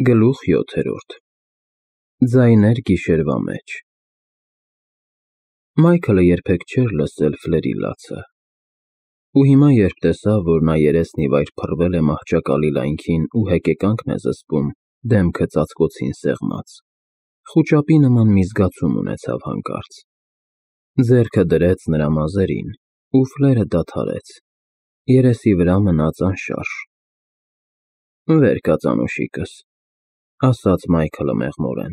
Գլուխ 7 Ձայներ գիշերվա մեջ Մայքլը երբեք չէր լսել Ֆլերի լացը, ու հիմա երբ տեսավ, որ նա երեսն ի վայր փռվել է մահճակալի լայնքին ու հեկեկանքն է զսպում, դեմքը ծածկոցին սեղմած, խուճապի նման մի զգացում ունեցավ հանկարծ, ձեռքը դրեց նրա մազերին, ու Ֆլերը դադարեց, երեսի վրա մնաց անշարժ։ Վեր կաց անուշիկս, ասաց Մայքլը մեղմորեն,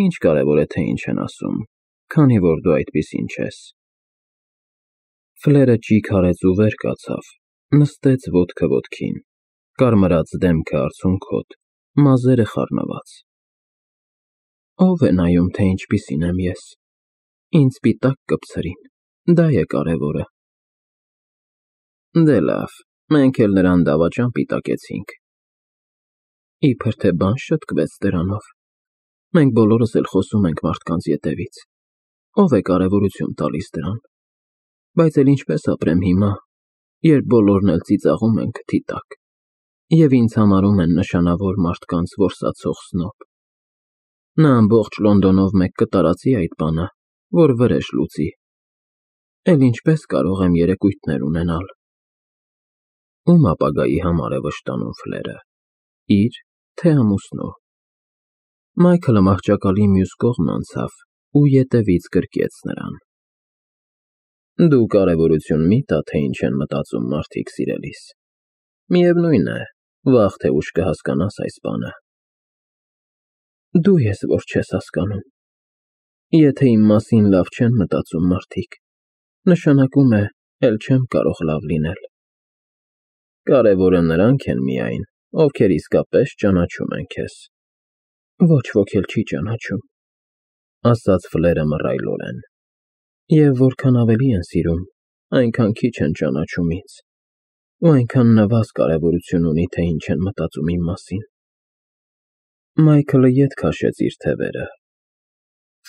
ինչ կարևոր է, թե ինչ են ասում, քանի որ դու այդպիսին չես։ Ֆլերը ճիգ արեց ու վեր կացավ, նստեց ոտքը ոտքին, կարմրած դեմքը արցունքոտ, մազերը խառնված։ Ո՞վ է նայում, թե ինչպիսին եմ ես, ինձ պիտակ կպցրին, դա է կարևորը։ Դե լավ, մենք էլ նրան դավաճան պիտակեցինք։ Իբր թե բան շտկվեց դրանով, մենք բոլորս էլ խոսում ենք մարդկանց ետևից, ով է կարևորություն տալիս դրան, բայց էլ ինչպես ապրեմ հիմա, երբ բոլորն էլ ծիծաղում են քթի տակ, և ինձ համարում են նշանավոր մարդկանց որսացող սնոբ։ Նա ամբողջ Լոնդոնով մեկ կտարածի այդ բանը, որ վրեժ լուծի, էլ ինչպես կարող եմ երեկույթներ ունենալ։ Ում ապագայի համար է վշտանում Ֆլերը, իր, թե ամուսնու։ Մայքլը մահճակալի մյուս կողմն անցավ ու ետևից գրկեց նրան։ Դու կարևորություն մի տա, թե ինչ են մտածում մարդիկ սիրելիս։ Միևնույն է, վաղ թե ուշ կհասկանաս այս բանը։ Դու ես, որ չես հասկանում։ Եթե իմ մասին լավ չեն մտածում մարդիկ, նշանակում է, էլ չեմ կարող լավ լինել։ Կարևորը նրանք են միայն, ովքեր իսկապես ճանաչում են քեզ։ Ոչ ոք էլ չի ճանաչում, ասաց Ֆլերը մռայլորեն։ Եվ որքան ավելի են սիրում, այնքան քիչ են ճանաչում ինձ, ու այնքան նվազ կարևորություն ունի, թե ինչ են մտածում իմ մասին։ Մայքլը ետ քաշեց իր թևերը։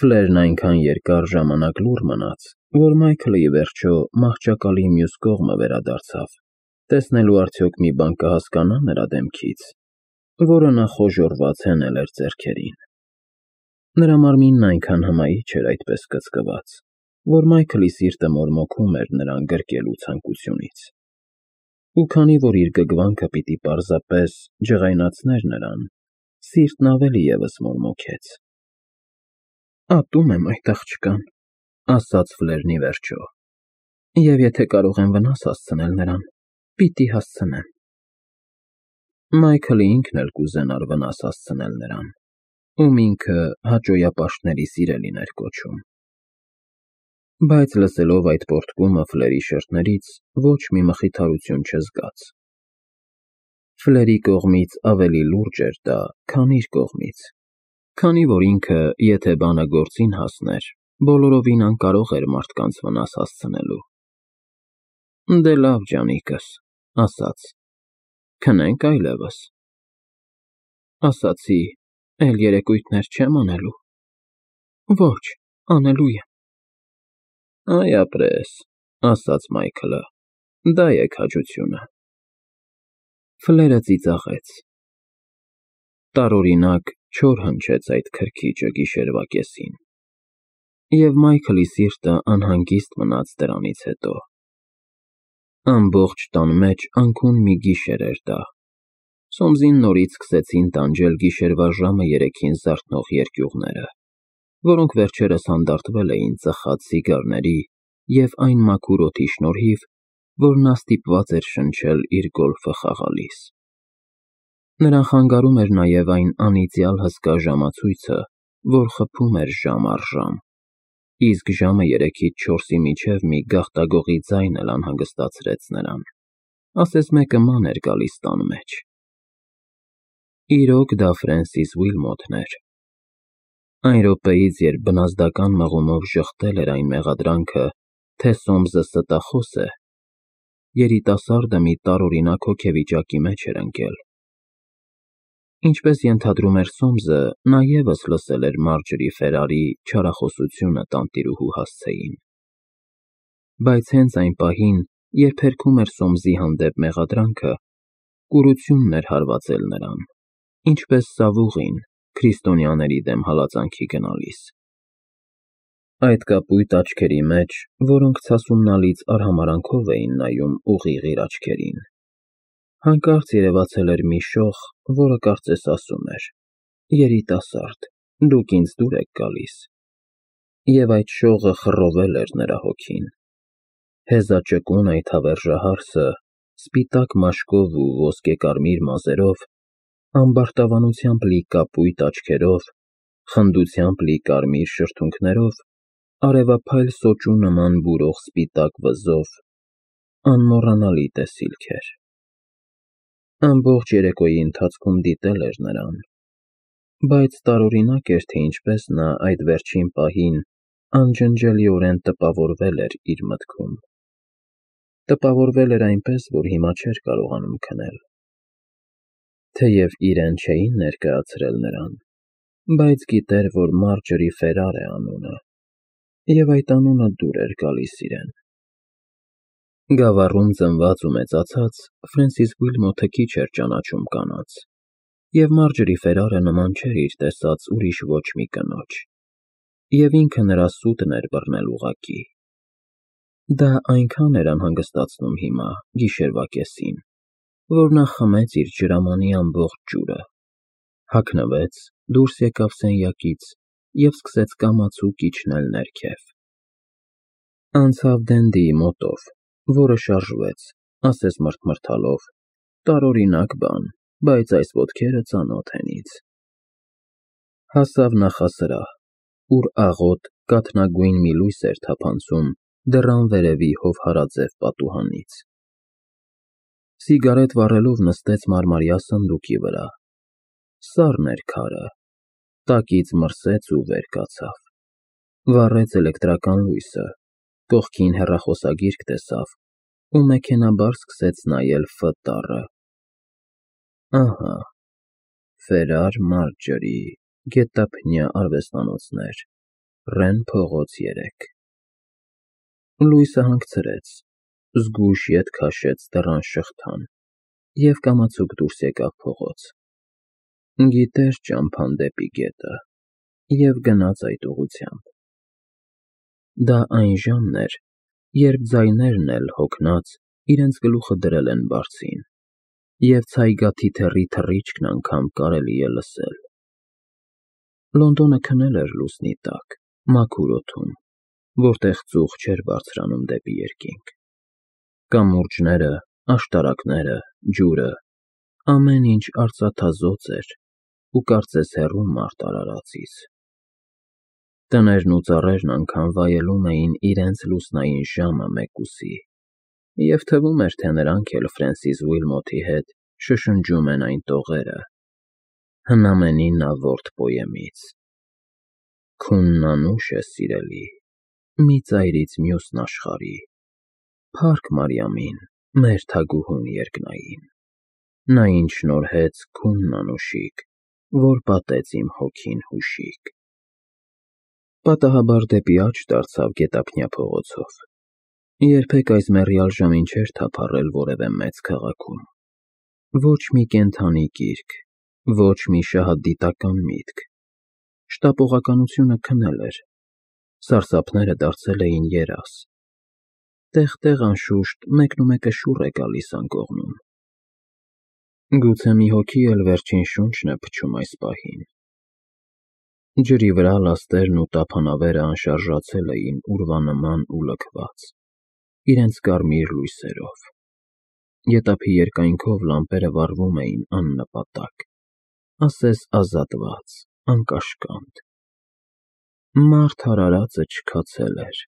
Ֆլերն այնքան երկար ժամանակ լուռ մնաց, որ Մայքլը ի վերջո մահճակալի մյուս կողմը վերադարձավ, տեսնելու արդյոք մի բան կհասկանա նրա դեմքից, որը նա խոժոռված հենել էր ձեռքերին։ Նրա մարմինն այնքան հմայիչ էր այդպես կծկված, որ Մայքլի սիրտը մորմոքում էր նրան գրկելու ցանկությունից։ Ու քանի որ իր գգվանքը պիտի պարզապես ջղայնացներ նրան, սիրտն ավելի ևս մորմոքեց։ Ատում եմ այդ աղջկան, ասաց Ֆլերն ի վերջո, և եթե կարող եմ վնաս հասցնել նրան, պիտի հասցնեմ։ Մայքլը ինքն էլ կուզենար վնաս հասցնել նրան, ում ինքը հաճոյապաշտների սիրելին էր կոչում։ Բայց լսելով այդ պոռթկումը Ֆլերի շրթներից ոչ մի մխիթարություն չզգաց։ Ֆլերի կողմից ավելի լուրջ էր դա, քան իր կողմից, քանի որ ինքը, եթե բանը գործին հասներ, բոլորովին անկարող էր մարդկանց վնաս հասցնելու։ Դե լավ, ջանիկս, ասաց, քնենք այլևս։ Ասացի, էլ երեկույթներ չեմ անելու։ Ոչ, անելու եմ։ Այ ապրես, ասաց Մայքլը, դա է քաջությունը։ Ֆլերը ծիծաղեց։ Տարօրինակ չոր հնչեց այդ քրքիջը գիշերվա կեսին, և Մայքլի սիրտը անհանգիստ մնաց դրանից հետո։ Ամբողջ տան մեջ անքուն մի գիշեր էր դա։ Սոմսին նորից սկսեցին տանջել գիշերվա ժամը 3-ին զարթնող երկյուղները, որոնք վերջերս հանդարտվել էին ծխած սիգարների և այն մաքուր օդի շնորհիվ, որ նա ստիպված էր շնչել իր գոլֆը խաղալիս։ Նրան խանգարում էր նաև այն անիծյալ հսկա ժամացույցը, որ խփում էր ժամ առ ժամ, իսկ ժամը 3-ից 4-ի միջև մի գաղտագողի ձայն էլ անհանգստացրեց նրան, ասես մեկը ման էր գալիս տան մեջ։ Իրոք դա Ֆրենսիս Ուիլմոթն էր։ Այն րոպեից, երբ բնազդական մղումով ժխտել էր այն մեղադրանքը, թե Սոմսը ստախոս է, երիտասարդը մի տարօրինակ հոգեվիճակի մեջ էր ընկել։ Ինչպես ենթադրում էր Սոմսը, նա ևս լսել էր Մարջորի Ֆերարի չարախոսությունը տանտիրուհու հասցեին։ Բայց հենց այն պահին, երբ հերքում էր Սոմսի հանդեպ մեղադրանքը, կուրությունն էր հարվածել նրան, ինչպես Սավուղին քրիստոնյաների դեմ հալածանքի գնալիս։ Այդ կապույտ աչքերի մեջ, որոնք ցասումնալից արհամարանքով էին նայում ուղիղ իր աչքերին, հանկարծ երևացել էր մի շող, որը կարծես ասում էր. «Երիտասարդ, դուք ինձ դուր եք գալիս»։ Եվ այդ շողը խռովել էր նրա հոգին։ Հեզաճկուն այդ հավերժահարսը, սպիտակ մաշկով ու ոսկեկարմիր մազերով, ամբարտավանությամբ լի կապույտ աչքերով, խնդությամբ լի կարմիր շրթունքներով, արևափայլ սոճու նման բուրող սպիտակ վզով, անմոռանալի տեսիլք էր։ Ամբողջ երեկոյի ընթացքում դիտել էր նրան, բայց տարօրինակ էր, թե ինչպես նա այդ վերջին պահին անջնջելիորեն տպավորվել էր իր մտքում։ Տպավորվել էր այնպես, որ հիմա չէր կարողանում քնել։ Թեև իրեն չէին ներկայացրել նրան, բայց գիտեր, որ Մարջորի Ֆերար է անունը, և այդ անունը դուր էր գալիս իրեն։ Գավառում ծնված ու մեծացած Ֆրենսիս Ուիլմոթը քիչ էր ճանաչում կանանց, և Մարջորի Ֆերարը նման չէր իր տեսած ուրիշ ոչ մի կնոջ, և ինքը նրա սուտն էր բռնել ուղղակի։ Դա այնքան էր անհանգստացնում հիմա, գիշերվա կեսին, որ նա խմեց իր ջրամանի ամբողջ ջուրը, հագնվեց, դուրս եկավ սենյակից և սկսեց կամացուկ իջնել ներքև։ Անցավ Դենդիի մոտով, որը շարժվեց, ասես մռթմռթալով. տարօրինակ բան, բայց այս ոտքերը ծանոթ են ինձ։ Հասավ նախասրահ, ուր աղոտ, կաթնագույն մի լույս էր թափանցում դռան վերևի հովհարաձև պատուհանից։ Սիգարետ վառելով նստեց մարմարյա սնդուկի վրա։ Սառն էր քարը, տակից մրսեց ու վեր կացավ։ Վառեց էլեկտրական լույսը, կողքին հեռախոսագիրք տեսավ ու մեքենաբար սկսեց նայել Ֆ տառը։ Ահա, Ֆերար Մարջորի, գետափնյա արվեստանոցներ, Ռեն փողոց 3։ Լույսը հանգցրեց, զգույշ ետ քաշեց դռան շղթան և կամացուկ դուրս եկավ փողոց։ Գիտեր ճամփան դեպի գետը և գնաց այդ ուղղությամբ։ Դա այն ժամն էր, երբ ձայներն էլ, հոգնած, իրենց գլուխը դրել են բարձին, և ցայգաթիթեռի թռիչքն անգամ կարելի է լսել։ Լոնդոնը քնել էր լուսնի տակ, մաքուր օդում, որտեղ ծուխ չէր բարձրանում դեպի երկինք։ Կամուրջները, աշտարակները, ջուրը, ամեն ինչ արծաթազօծ էր ու կարծես հեռու մարդ արարածից։ Տներն ու ծառերն անգամ վայելում էին իրենց լուսնային ժամը մեկուսի, և թվում էր, թե նրանք էլ Ֆրենսիս Ուիլմոթի հետ շշնջում են այն տողերը, հնամենի նավորդ պոեմից. Քունն անուշ է սիրելի, մի ծայրից մյուսն աշխարհի, փառք Մարիամին, մեր թագուհուն երկնային, նա ինձ շնորհեց քունն անուշիկ, որ պատեց իմ հոգին հուշիկ։ Պատահաբար դեպի աջ դարձավ գետափնյա փողոցով։ Երբեք այս մեռյալ ժամին չէր թափառել որևէ մեծ քաղաքում։ Ոչ մի կենդանի կիրք, ոչ մի շահադիտական միտք։ Շտապողականությունը քնել էր, սարսափները դարձել էին երազ։ Տեղ-տեղ, անշուշտ, մեկնումեկը շուռ է գալիս անկողնում։ Գուցե մի հոգի էլ վերջին շունչն է փչում այս պահին։ Ջրի վրա լաստերն ու տափանավերը անշարժացել էին ուրվանման ու լքված, իրենց կարմիր լույսերով։ Գետափի երկայնքով լամպերը վառվում էին աննպատակ, ասես ազատված, անկաշկանդ։ Մարդ արարածը չքացել էր։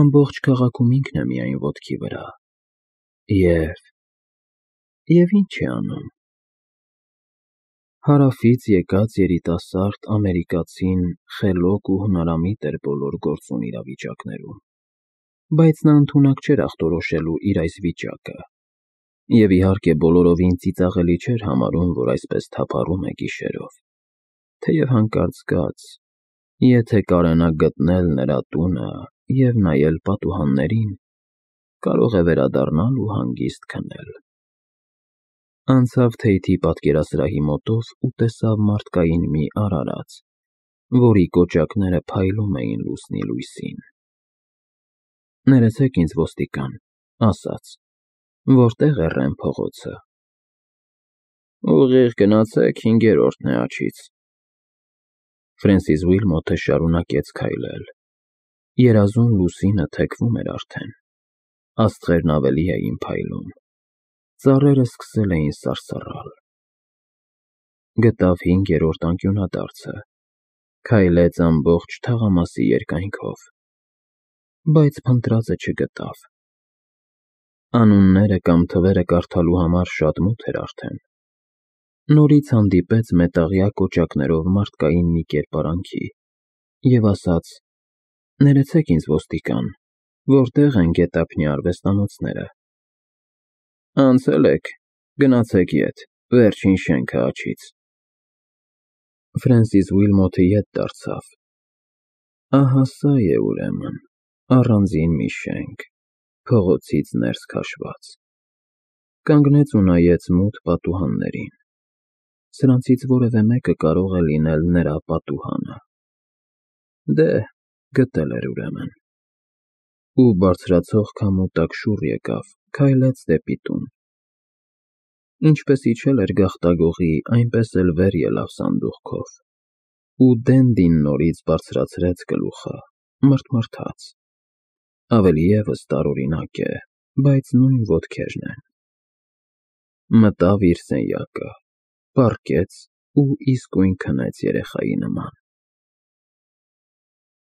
Ամբողջ քաղաքում ինքն է միայն ոտքի վրա։ Եվ ինչ է անում։ Հարավից եկած երիտասարդ ամերիկացին խելոք ու հնարամիտ էր բոլոր գործուն իրավիճակներում, բայց նա ընդունակ չէր ախտորոշելու իր այս վիճակը, և իհարկե բոլորովին ծիծաղելի չէր համարում, որ այսպես թափառում է գիշերով, թեև հանկարծ զգաց, եթե կարենա գտնել նրա տունը և նայել պատուհաններին, կարող է վերադառնալ ու հանգիստ քնել։ Անցավ Թեյթի պատկերասրահի մոտով ու տեսավ մարդկային մի արարած, որի կոճակները փայլում էին լուսնի լույսին։ «Ներեցեք ինձ, ոստիկան», ասաց, «որտե՞ղ է Ռեմ փողոցը»։ «Ուղիղ գնացեք, 5-րդն է աջից»։ Ֆրենսիս Ուիլմոթը շարունակեց քայլել։ Երազուն լուսինը թեքվում էր արդեն։ Աստղերն ավելի էին փայլում։ Ծառերը սկսել էին սարսռալ։ Գտավ 5-րդ անկյունադարձը, քայլեց ամբողջ թաղամասի երկայնքով, բայց փնտրածը չգտավ։ Անունները կամ թվերը կարդալու համար շատ մութ էր արդեն։ Նորից հանդիպեց մետաղյա կոճակներով մարդկային մի կերպարանքի և ասաց. «Ներեցեք ինձ, ոստիկան, որտե՞ղ են գետափնյա արվեստանոցները»։ «Անցել եք, գնացեք ետ, վերջին շենքը աջից»։ Ֆրենսիս Ուիլմոթը ետ դարձավ։ Ահա սա է ուրեմն, առանձին մի շենք, փողոցից ներս քաշված։ Կանգնեց ու նայեց մութ պատուհաններին։ Սրանցից որևէ մեկը կարող է լինել նրա պատուհանը։ Դե, գտել էր ուրեմն։ Ու բարձրացող քամու տակ շուռ եկավ, քայլեց դեպի տուն։ Ինչպես իջել էր գաղտագողի, այնպես էլ վեր ելավ սանդուղքով։ Ու Դենդին նորից բարձրացրեց գլուխը, մռթմռթաց։ Ավելի ևս տարօրինակ է, բայց նույն ոտքերն են։ Մտավ իր սենյակը, պառկեց ու իսկույն քնեց երեխայի նման։